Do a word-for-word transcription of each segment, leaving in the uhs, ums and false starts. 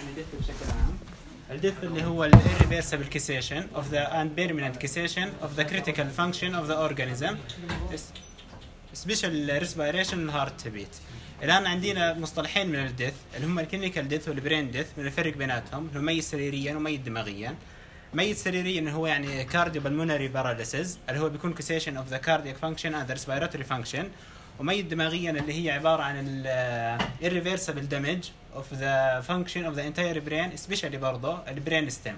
الديث بشكل عام. الديث اللي هو ال irreversible cessation of the and permanent cessation of the critical function of the organism special respiration heart beat. الآن عندنا مصطلحين من الديث اللي هم الكلينيكال ديث والبرين ديث. من الفرق بيناتهم هو ميت سريريا وميت دماغيا. ميت سريريا هو يعني cardiopulmonary paralysis اللي هو بيكون cessation of the cardiac function and the respiratory function. وميت دماغيا اللي هي عبارة عن ال irreversible damage of the function of the entire brain especially برضه البرين stem.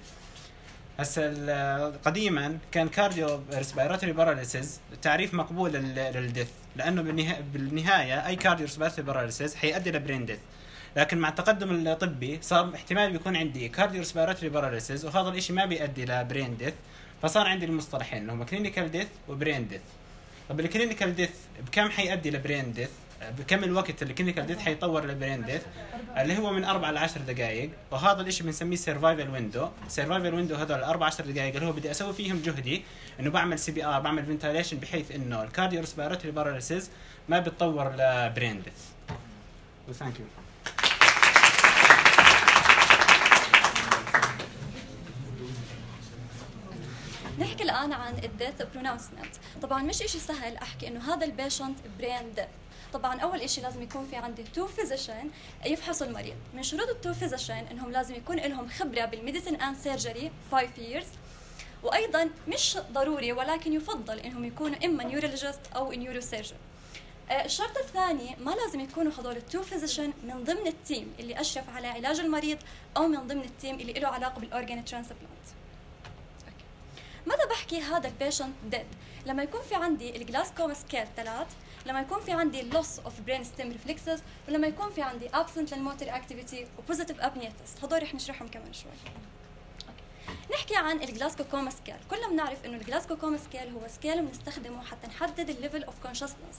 هسه قديما كان كارديو ريسبيراتوري باراليسيس تعريف مقبول للديث لانه بالنهايه اي كارديو ريسبيراتوري باراليسيس حيؤدي لبرين ديث. لكن مع التقدم الطبي صار احتمال بيكون عندي كارديو ريسبيراتوري باراليسيس وهذا الشيء ما بيؤدي لبرين ديث، فصار عندي المصطلحين اللي هم كلينيكال ديث وبرين ديث. طب الكلينيكال ديث بكم حيؤدي لبرين ديث؟ بكم الوقت اللي الكلينيكال ديث حيطور لبرين ديث؟ اللي هو من أربعة لعشر دقائق، وهذا الاشي بنسميه سيرفايفل ويندو. سيرفايفل ويندو هذول الأربع عشر دقائق اللي هو بدي اسوي فيهم جهدي انه بعمل سي بي ار، بعمل فنتيليشن بحيث انه الكارديو ريسبيراتوري باراليسيس ما بتطور لبرين ديث. وثانك يو. نحكي الآن عن الديث برونونسمنت. طبعا مش إشي سهل أحكي إنه هذا البيشنت برين ديث. طبعا أول إشي لازم يكون في عندي تو فيزيشن يفحصوا المريض. من شروط التو فيزيشن إنهم لازم يكون لهم خبرة بالميديسن أند سيرجري فايف ييرز، وأيضا مش ضروري ولكن يفضل إنهم يكونوا إما نيورولوجيست أو نيورو سيرجن. الشرط الثاني ما لازم يكونوا هذول التو فيزيشن من ضمن التيم اللي أشرف على علاج المريض أو من ضمن التيم اللي له علاقة بالأورجان ترانسبلانت. ماذا بحكي هذا البيشنت ديد؟ لما يكون في عندي الجلاسكوما سكيل ثلاث، لما يكون في عندي loss of brain stem reflexes، ولما يكون في عندي absent للmotor activity و positive apnea test. هذول رح نشرحهم كمان شوي. أوكي. نحكي عن الجلاسكوما سكيل. كلنا بنعرف انه الجلاسكوما سكيل هو سكيل بنستخدمه حتى نحدد الليفل اوف كونشسنس.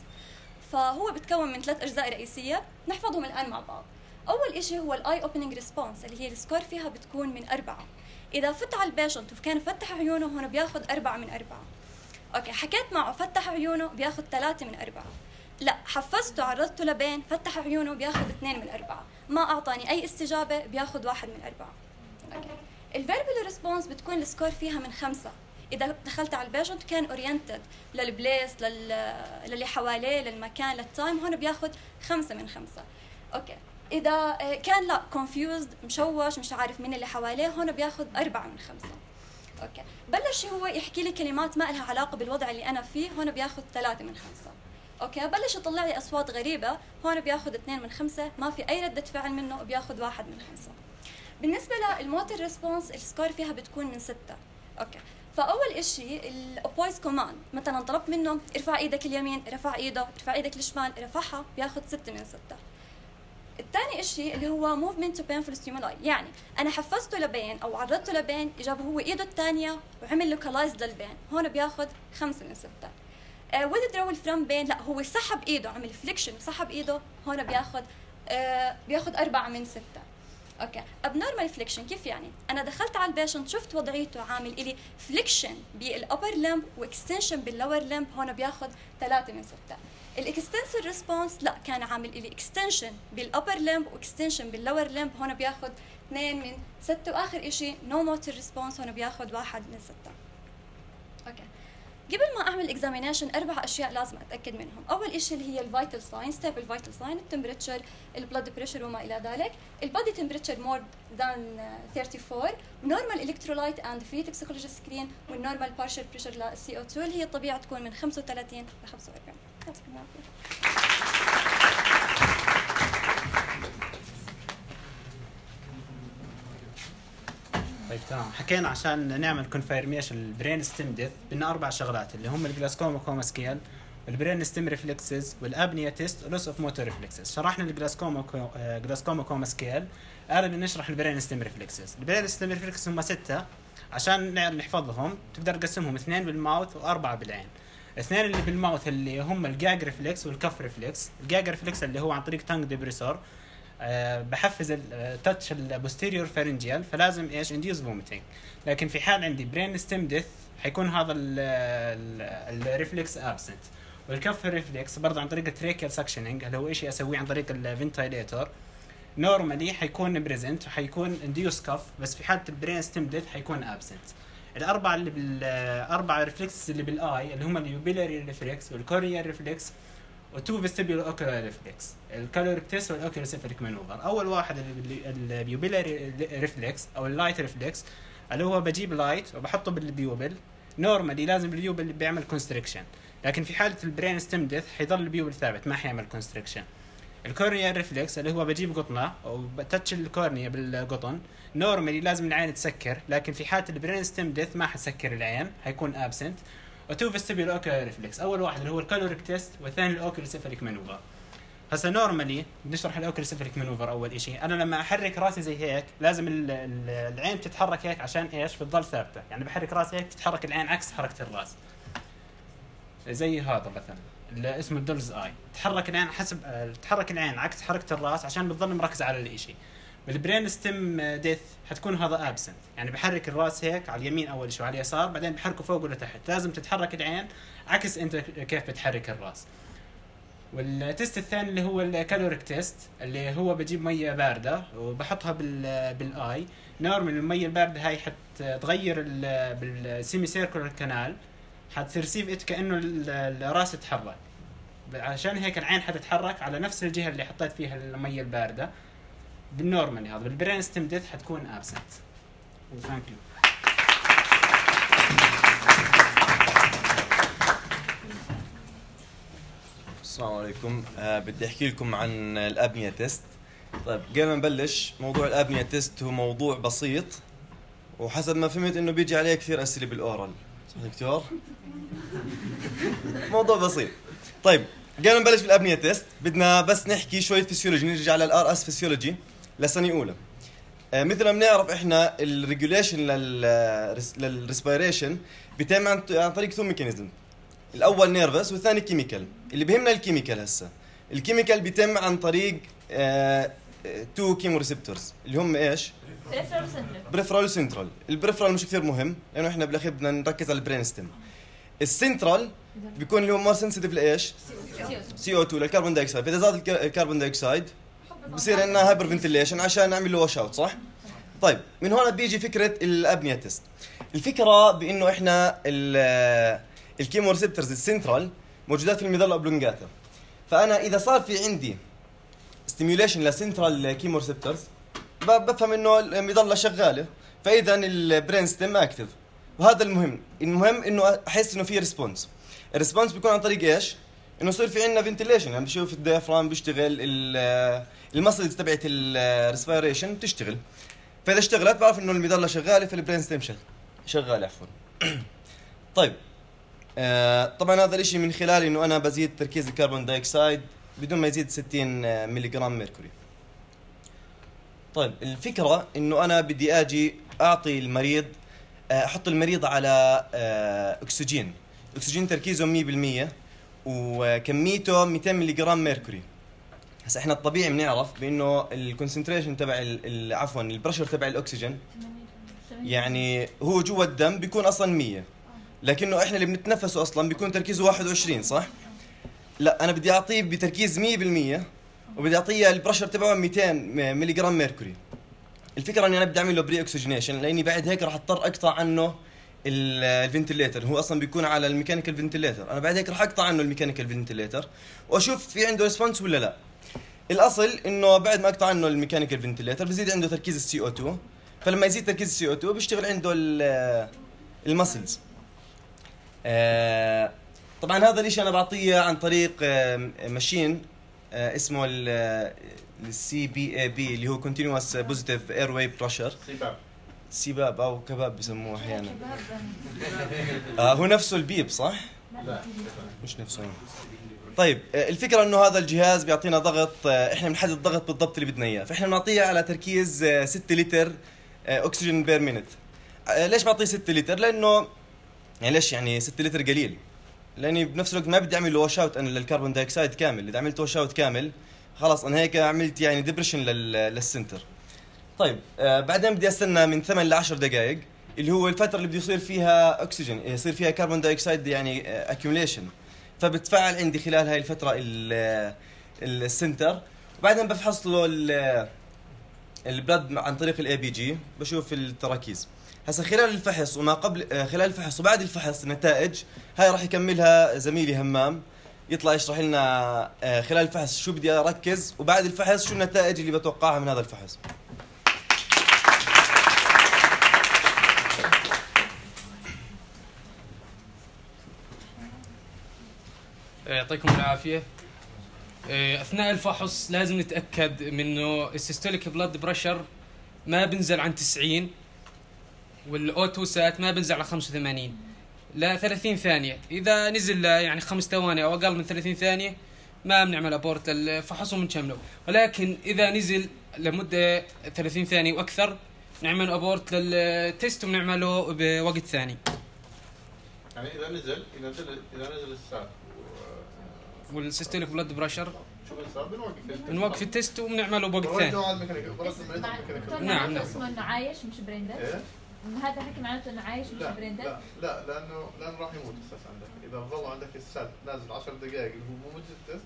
فهو بتكون من ثلاث اجزاء رئيسيه نحفظهم الان مع بعض. اول شيء هو الاي اوبننج ريسبونس اللي هي السكور فيها بتكون من أربعة. إذا فتح على البيشنت وكان فتح عيونه هون بياخد أربعة من أربعة. أوكي، حكيت معه فتح عيونه بياخد ثلاثة من أربعة. لا، حفزته عرضته لبين فتح عيونه بياخد اثنين من أربعة. ما أعطاني أي استجابة بياخد واحد من أربعة. أوكي. الفيربال ريسبونس بتكون السكور فيها من خمسة. إذا دخلت على البيشنت كان أورينتد للبليس لل... للي حواليه للمكان للتايم، هون بياخد خمسة من خمسة. أوكي. إذا كان لا confused مشوش مش عارف مين اللي حواليه، هون بياخد أربعة من خمسة. أوكي. بلش هو يحكي لي كلمات ما لها علاقة بالوضع اللي أنا فيه، هون بياخد ثلاثة من خمسة. أوكي. بلش يطلع لي أصوات غريبة، هون بياخد اثنين من خمسة، ما في أي ردة فعل منه بياخد واحد من خمسة. بالنسبة للموتور ريسبونس السكور فيها بتكون من ستة. أوكي. فأول إشي الأبويز كوماند، مثلا طلبت منه ارفع إيدك اليمين، رفع إيده، ارفع إيدك الشمال، رفعها، بياخد ستة من ستة. الثاني إشي اللي هو movement to painful stimuli، يعني أنا حفزته لبين أو عرضته لبين، جاب هو إيده الثانية وعمل localized للبين، هون بياخد خمسة من ستة. uh, withdrawal from pain، لا هو سحب إيده، عمل flexion وسحب إيده، هون بياخد uh, بياخد أربعة من ستة. أوكي. abnormal flexion كيف يعني؟ أنا دخلت على البيشنت شفت وضعيته عامل إلي flexion بالupper limb واكستنشن بالlower limb، هون بياخد ثلاثة من ستة. الاكستنسور ريسبونس لا كان عامل لي اكستنشن بالابر لمب واكستنشن باللور لمب، هون بياخد اثنين من ستة. واخر شيء نو موتور ريسبونس، هون بياخد واحد من ستة. اوكي. قبل ما اعمل اكزامينيشن اربع اشياء لازم اتاكد منهم. اول شيء اللي هي الفيتال ساين، ستيبل فيتال ساين، التمبريتشر، البلد بريشر وما الى ذلك. البادي تمبريتشر مور ذان ثلاثة وثلاثين، نورمال الكترولايت اند فري توكسيكولوجي سكرين، والنورمال بارشل بريشر للسي او اثنين اللي هي الطبيعه تكون من خمسة وثلاثين ل خمسة وأربعين. طيب تمام، حكينا عشان نعمل كونفيرميشن البرين ستيم ديث بدنا اربع شغلات اللي هم الجلاسكوما كوما سكيل والبرين ستيم ريفلكسز والابنيا تيست ولوس اوف موتور ريفلكسز. شرحنا الجلاسكوما جلاسكوما كوما سكيل، الان نشرح البرين ستيم ريفلكسز. البرين ستيم ريفلكسز هم ستة عشان نحفظهم، تقدر تقسمهم اثنين بالماوث واربعه بالعين. اثنين اللي بالماوث اللي هم الجاج ريفلكس والكف ريفلكس. الجاج ريفلكس اللي هو عن طريق تانج ديبريسور، أه بحفز التاتش البوستيريور فارنجيال، فلازم ايش انديوز فوميتنج. لكن في حال عندي برين ستيم ديث حيكون هذا الريفلكس ابسنت. والكف ريفلكس برضه عن طريق التريكيال سكشننج اللي هو شيء اسويه عن طريق الفنتيليتور. نورمالي حيكون بريزنت وحيكون انديوس كف، بس في حاله البرين ستيم ديث حيكون ابسنت. الاربعه اللي بالاربعه ريفلكس اللي بالاي اللي هم اليوبيلاري ريفلكس والكورنيال ريفلكس وتو فيستيبولو اوكولار ريفلكس، الكالوريكتس والاوكيولوسيفاليك مانوفر. اول واحد اليوبيلاري ريفلكس او اللايت ريفلكس اللي هو بجيب لايت وبحطه بالبيوبل. نورمالي لازم البيوبل اللي بيعمل كونستريكشن، لكن في حاله البرين ستيم ديث حيضل البيوبل ثابت ما حيعمل كونستريكشن. الكورنيال ريفلكس اللي هو بجيب قطنه وبتتش الكورنيا بالقطن، نورمالي لازم العين تسكر، لكن في حاله البرين ستيم ديث ما حتسكر العين، حيكون ابسنت. وتو فيستيبولو اوكولار ريفلكس، اول واحد اللي هو الكالوريك تيست والثاني الاوكيولوسيفاليك مانوفر. هسه نورمالي بنشرح الاوكيولوسيفاليك مانوفر. اول شيء انا لما احرك راسي زي هيك لازم العين تتحرك هيك عشان ايش؟ بتضل ثابته، يعني بحرك راسي هيك تتحرك العين عكس حركه الراس. زي هذا مثلا اللي اسمه الدولز اي، تحرك العين حسب تتحرك العين عكس حركه الراس عشان بتضل مركز على الشيء. بالبرين ستيم ديث حتكون هذا ابسنت، يعني بحرك الراس هيك على اليمين اول شيء وعلى اليسار، بعدين بحركه فوق ولا تحت. لازم تتحرك العين عكس انت كيف بتحرك الراس. والتست الثاني اللي هو الكالوريك تيست اللي هو بجيب ميه بارده وبحطها بال بالاي. نورمال الميه البارده هاي حتغير بالسيمي سيركولار كانال، حترسيف ات كانه الراس يتحرك، عشان هيك العين حتتحرك على نفس الجهه اللي حطيت فيها الميه البارده. بالنورمال هذا بالبرين ستيم ديث حتكون ابسنت. ثانك يو. السلام عليكم. أه بدي احكي لكم عن الابنيا تيست. طيب قبل ما نبلش، موضوع الابنيا تيست هو موضوع بسيط، وحسب ما فهمت انه بيجي عليه كثير اسئله بالاورال، صح دكتور؟ موضوع بسيط. طيب قبل ما نبلش بالابنيا تيست بدنا بس نحكي شويه فيسيولوجي، نرجع للار اس فيسيولوجي لسنه اولى. أه مثل ما بنعرف احنا الريجوليشن للريسبيريشن بيتم عن طريق تو ميكانيزم، الاول نيرفس والثاني كيميكال. اللي بيهمنا الكيميكال. هسه الكيميكال بيتم عن طريق آه تو كيمو ريسبتورز اللي هم ايش؟ بريفرال وسنترال. بريفرال وسنترال. البريفرال مش كثير مهم لانه احنا بالاخير بدنا نركز على البرين ستيم. السنترال بيكون اللي هو مور سنسيتيف لايش؟ سي او اثنين للكربون دايوكسيد. فاذا زاد الكربون دايوكسيد بصير عندنا هايبر فنتيليشن عشان نعمل له واش اوت، صح؟ طيب من هون بيجي فكره الابنيا تيست. الفكره بانه احنا الكيمو ريسبتورز السنترال موجودات في الميدالا اوبلونجاتا، فانا اذا صار في عندي ستيميوليشن لسنترال كيمو ريسبتورز بفهم انه الميدالا شغاله، فاذا البرين ستيم اكتف. وهذا المهم. المهم انه احس انه في ريسبونس. الريسبونس بيكون عن طريق ايش؟ انه يصير في عندنا فنتيليشن، يعني بشوف الديافرام بيشتغل، المسلز تبعت الريسبيريشن بتشتغل، فاذا اشتغلت بعرف انه الميدالا شغاله، فالبرين ستيم شغال عفوا. طيب آه طبعا هذا الاشي من خلال انه انا بزيد تركيز الكربون دايوكسيد بدون ما يزيد ستين ملي جرام ميركوري. طيب الفكره انه انا بدي اجي اعطي المريض، احط المريض على آه اكسجين، اكسجين تركيزه مية بالمية وكميته مئتين ملي جرام ميركوري. هسه احنا الطبيعي بنعرف بانه الكونسنتريشن تبع عفوا البريشر تبع الاكسجين يعني هو جوا الدم بيكون اصلا مية، لكنه احنا اللي بنتنفسه اصلا بيكون تركيزه واحد وعشرين، صح؟ لا انا بدي اعطيه بتركيز مية بالمية وبدي اعطيه البريشر تبعه مئتين ملي جرام ميركوري. الفكره اني انا بدي اعمل له بري اوكسجينيشن، لاني بعد هيك راح اضطر اقطع عنه الفنتليتر، هو اصلا بيكون على الميكانيكال فنتليتر، انا بعد هيك راح اقطع عنه الميكانيكال فنتليتر واشوف في عنده ريسبونس ولا لا. الاصل انه بعد ما اقطع عنه الميكانيكال فنتليتر بزيد عنده تركيز السي او اثنين، فلما يزيد تركيز السي او اثنين بيشتغل عنده المسلز. آه طبعا هذا الاشي انا بعطيه عن طريق آه ماشين آه اسمه السي بي اي بي اللي هو كونتينوس بوزيتيف اير واي بريشر، سباب سباب او كباب بسموه احيانا. آه هو نفسه البيب صح؟ لا مش نفسه. طيب آه الفكره انه هذا الجهاز بيعطينا ضغط، آه احنا بنحدد الضغط بالضبط اللي بدنا اياه، فاحنا بنعطيه على تركيز آه ستة لتر آه اكسجين بير مينت. آه ليش بعطيه ستة لتر؟ لانه يعني ليش يعني ستة لتر قليل؟ لاني بنفس الوقت ما بدي اعمل واش اوت انا للكربون دايوكسيد كامل، اذا عملت واش اوت كامل خلاص انا هيك عملت يعني ديبريشن للسنتر. طيب آه بعدين بدي استنى من ثمانية ل عشر دقائق اللي هو الفتره اللي بده يصير فيها اكسجين، يصير فيها كربون دايوكسيد يعني اكيوميليشن، فبتفعل عندي خلال هاي الفتره السنتر، وبعدين بفحص له البلد عن طريق الاي بي جي بشوف التراكيز. هسا خلال الفحص وما قبل خلال الفحص وبعد الفحص النتائج هاي راح يكملها زميلي همام، يطلع يشرح لنا خلال الفحص شو بدي اركز وبعد الفحص شو النتائج اللي بتوقعها من هذا الفحص. يعطيكم العافية. أثناء الفحص لازم نتأكد منه السيستوليك بلاد بريشر ما بنزل عن تسعين والأوتو سات ما بنزل على خمسة وثمانين ل ثلاثين ثانية. إذا نزل يعني خمس ثواني أو أقل من ثلاثين ثانية ما بنعمل أبورت للفحص وبنكمله، ولكن إذا نزل لمدة ثلاثين ثانية وأكثر نعمل أبورت للتست ونعمله بوقت ثاني. يعني إذا نزل إذا نزل إذا نزل السات والسيستوليك بلاد بريشر شو بنصير؟ بنوقف بنوقف التست وبنعمله بوقت ثاني. نعم نعم. اسمه إنه عايش مش بريندر. إيه؟ هذا حكي معناته إنه عايش مش بريندر. لا لا لأنه لأنه راح يموت السات عندك. إذا ظل عندك السات نازل عشر دقائق اللي هو مو مدة التست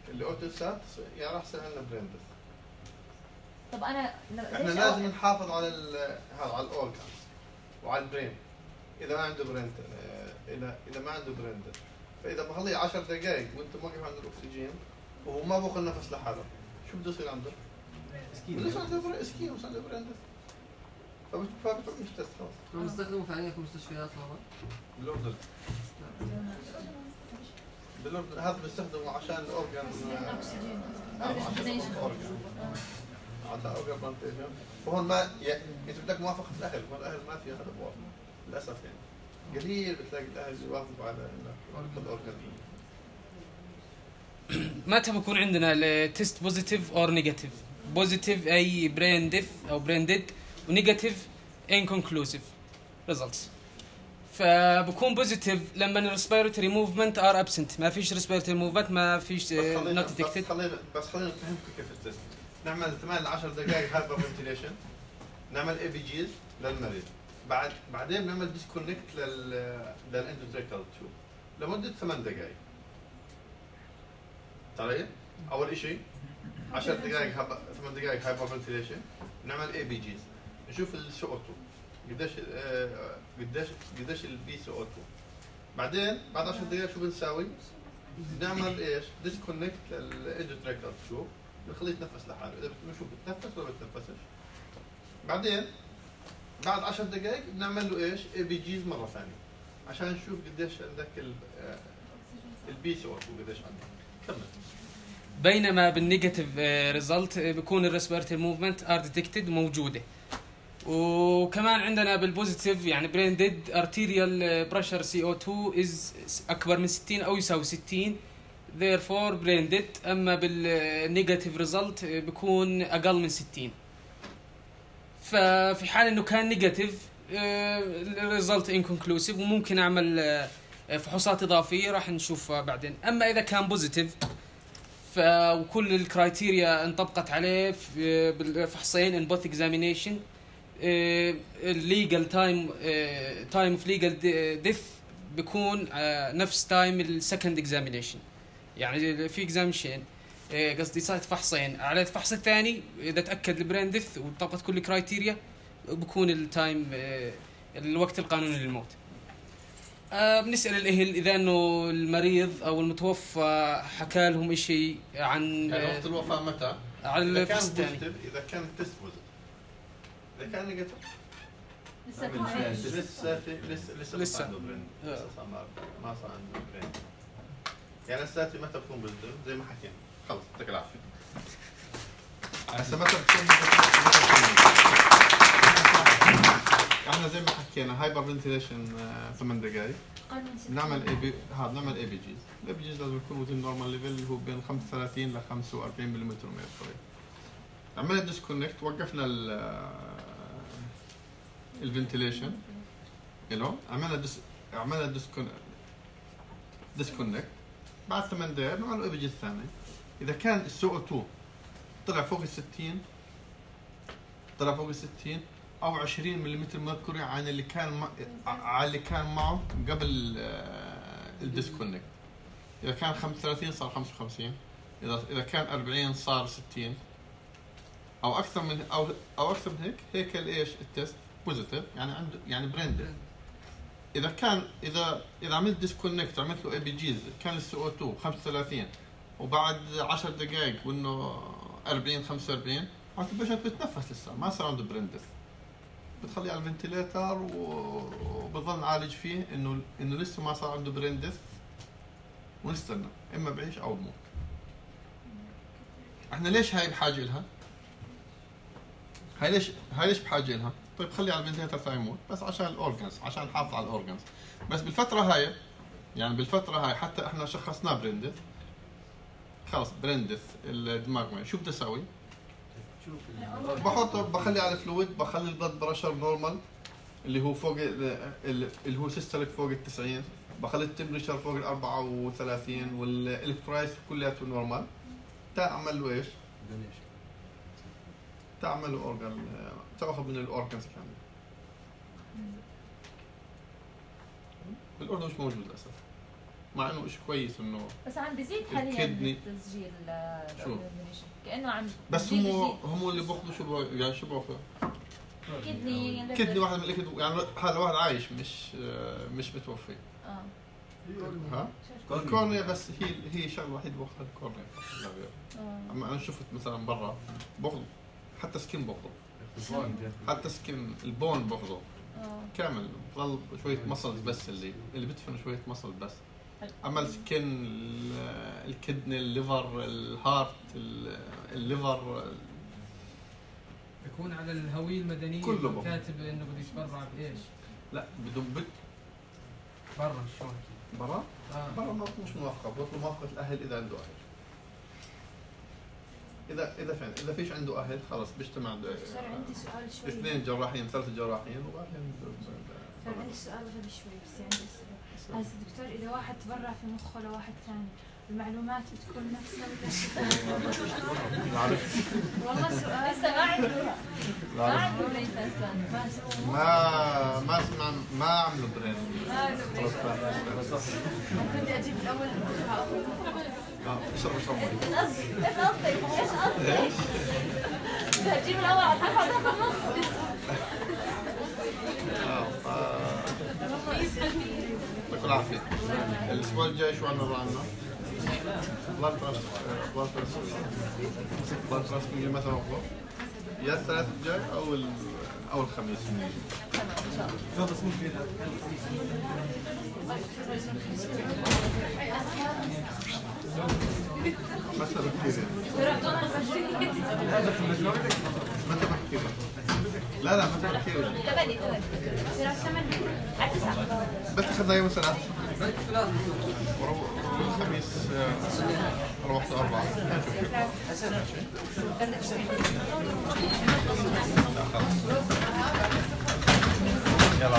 اللي أوتو السات يعني راح يصير لنا بريندر. طب أنا إحنا لازم نحافظ على هذا على الأورجانز وعلى البرين. إذا ما عنده بريندر إذا إذا ما عنده بريندر فإذا بخليه عشر دقائق وأنت موقف عند الأكسجين وهو ما بأخذ نفس لحاله شو بده يصير عنده؟ بده يصير عنده بريندر اسكين وصار عنده بريندر فبتروح مش تست خلاص. هم بيستخدموا فعليا في مستشفيات والله؟ بالأردن. بالأردن هذا بيستخدموا عشان الأورجان عشان الأورجان عشان أورجان بلانتيشن. وهون ما يعني أنت بدك موافقة الأهل، والأهل ما في هذا موافقة للأسف يعني. قليل بتلاقي الأهل يوافقوا على الأورجان. متى بكون عندنا التست بوزيتيف اور نيجاتيف؟ بوزيتيف اي برين ديث او برين ديد، ونيجاتيف انكونكلوسيف ريزلتس. فبكون بوزيتيف لما الريسبيراتوري موفمنت ار ابسنت، ما فيش ريسبيراتوري موفمنت، ما فيش نوت ديتكتد. بس خلينا بس خلينا نفهمكم كيف التست. نعمل ثمانية ل عشر دقائق هايبر فنتيليشن، نعمل اي بي جيز للمريض، بعد بعدين نعمل ديسكونكت لل للاندوتريكال تيوب لمده ثمان دقائق. طيب اول شيء عشر دقائق هب... ثمان دقائق هايبر فنتيليشن، نعمل اي بي جيز نشوف السي او اثنين قديش آه... قديش قديش البي سي او اثنين. بعدين بعد عشر دقائق شو بنساوي؟ نعمل ايش؟ ديسكونكت للاندوتريكال تيوب بنخليه يتنفس لحاله، اذا بنشوف بتنفس ولا بتنفسش. بعدين بعد عشر دقائق بنعمل له ايش؟ اي بي جيز مره ثانيه عشان نشوف قديش عندك البي سي او اثنين قديش عندك. كمل. بينما بالنيجاتيف ريزلت بيكون الريسبيراتوري موفمنت ار ديتكتد موجوده. وكمان عندنا بالبوزيتيف يعني برين ديد ارتيريال بريشر سي او اثنين از اكبر من ستين او يساوي ستين therefore برين ديد. اما بالنيجاتيف ريزلت بيكون اقل من ستين. ففي حال انه كان نيجاتيف الريزلت انكونكلوسيف وممكن اعمل فحوصات اضافيه راح نشوفها بعدين. اما اذا كان بوزيتيف فكل الكرايتيريا انطبقت عليه بالفحصين ان بوث اكزامينيشن، الليجل تايم تايم اوف ليجل ديث بيكون نفس تايم السكند اكزامينيشن. يعني في اكزامينيشن قصدي صارت فحصين، على الفحص الثاني اذا تاكد البرين ديث وطبقت كل الكرايتيريا بيكون التايم الوقت القانوني للموت. آه بنسأل الأهل إذا إنه المريض أو المتوفى حكى لهم إشي عن يعني وقت الوفاة متى؟ على الفحص الثاني. إذا كان التست بوزيتيف، إذا كان نيجاتيف لسه لسه لسه لسه لسه عنده برين، لسه صار ما صار عنده برين. يعني الساتي متى بتكون بوزيتيف زي ما حكينا، خلص يعطيك العافية. هسه متى بتكون احنا زي ما حكينا هايبر فنتيليشن ثمان دقائق، بنعمل اي بي هذا بنعمل اي بي جيز. الاي بي جيز لازم يكون وزن نورمال ليفل اللي هو بين خمسة وثلاثين ل خمسة وأربعين ملم ميركوري. عملنا ديسكونكت، وقفنا ال الفنتيليشن له، عملنا ديس عملنا ديسكونكت ديسكونكت بعد ثمان دقائق بنعمل اي بي جيز ثاني. اذا كان السي او اثنين طلع فوق ال ستين طلع فوق ال ستين او عشرين ملم ميركوري عن اللي كان مع... على اللي كان معه قبل الديسكونكت. اذا كان خمسة وثلاثين صار خمسة وخمسين، اذا اذا كان أربعين صار ستين، او اكثر من او او اكثر من هيك هيك الايش التست بوزيتيف يعني عنده يعني بريند. اذا كان اذا اذا عملت ديسكونكت عملت له اي بي جيز كان السي او اثنين خمسة وثلاثين وبعد عشر دقائق وانه أربعين خمسة وأربعين عاد البيشنت بتنفس لسه ما صار عنده بريندث، بتخليه على الفنتيليتر وبظل نعالج فيه انه انه لسه ما صار عنده بريندث ونستنى اما بعيش او بموت. احنا ليش هاي بحاجه لها؟ هاي ليش هاي ليش بحاجه لها؟ طيب خليه على الفنتيليتر تا يموت بس عشان الاورجنز، عشان نحافظ على الاورجنز. بس بالفتره هاي يعني بالفتره هاي حتى احنا شخصناه بريندث خلص بريندث الدماغ معي، شو بدي اسوي؟ بحط بخلي على فلويد، بخلي البلد بريشر نورمال اللي هو فوق اللي هو سيستوليك فوق ال تسعين، بخلي التمبريتشر فوق ال أربعة وثلاثين والالكترولايت كلياته نورمال. تعمل له ايش؟ تعمل له اورجان، تاخذ من الاورجانز كامل. بالاردن مش موجود للاسف، مع انه شيء كويس انه بس عم بيزيد حاليا التسجيل كانه عم بس هم هم اللي بياخذوا شو يعني شو بياخذوا كدني كدني واحد من الكد يعني هذا واحد عايش مش مش متوفي. اه ها الكورنيا بس هي هي شغله وحيده باخذها الكورنيا. اما انا شفت مثلا برا باخذ حتى سكين باخذه، حتى سكين البون باخذه كامل، بضل شويه مصل بس اللي اللي بدفن شويه مصل بس. اما السكن الكدني الليفر الهارت الليفر يكون على الهويه المدنيه كله كاتب انه بده يتبرع بايش؟ لا بدهم بد برا شلون؟ برا؟ آه. برا مش موافقه، بطلب موافقه الاهل اذا عنده اهل. اذا اذا فين اذا فيش عنده اهل خلص بيجتمع صار عندي سؤال شوي، اثنين جراحين ثلاث جراحين وبعدين صار عندي سؤال غبي شوي بس يعني هذا دكتور اذا واحد تبرع في مخه لواحد ثاني المعلومات بتكون نفسها ولا والله سؤال لسه ما عنده ما عنده برين ما ما اسمع ما عملوا برين كنت اجيب الاول اه اشرب اشرب ايش قصدك ايش قصدك بدي اجيب الاول على الحفظ اه يعطيكم العافيه. الاسبوع الجاي شو عندنا عندنا؟ بلاد تراست بلاد تراست بلاد تراست من متى ناخذه؟ يا الثلاث الجاي او او الخميس. متى بكير متى بكير لا لا متى بكير تبني تبني صراحة ثمانية على تسعة بس اخذنا يوم الثلاث الخميس روحت أربعة. يلا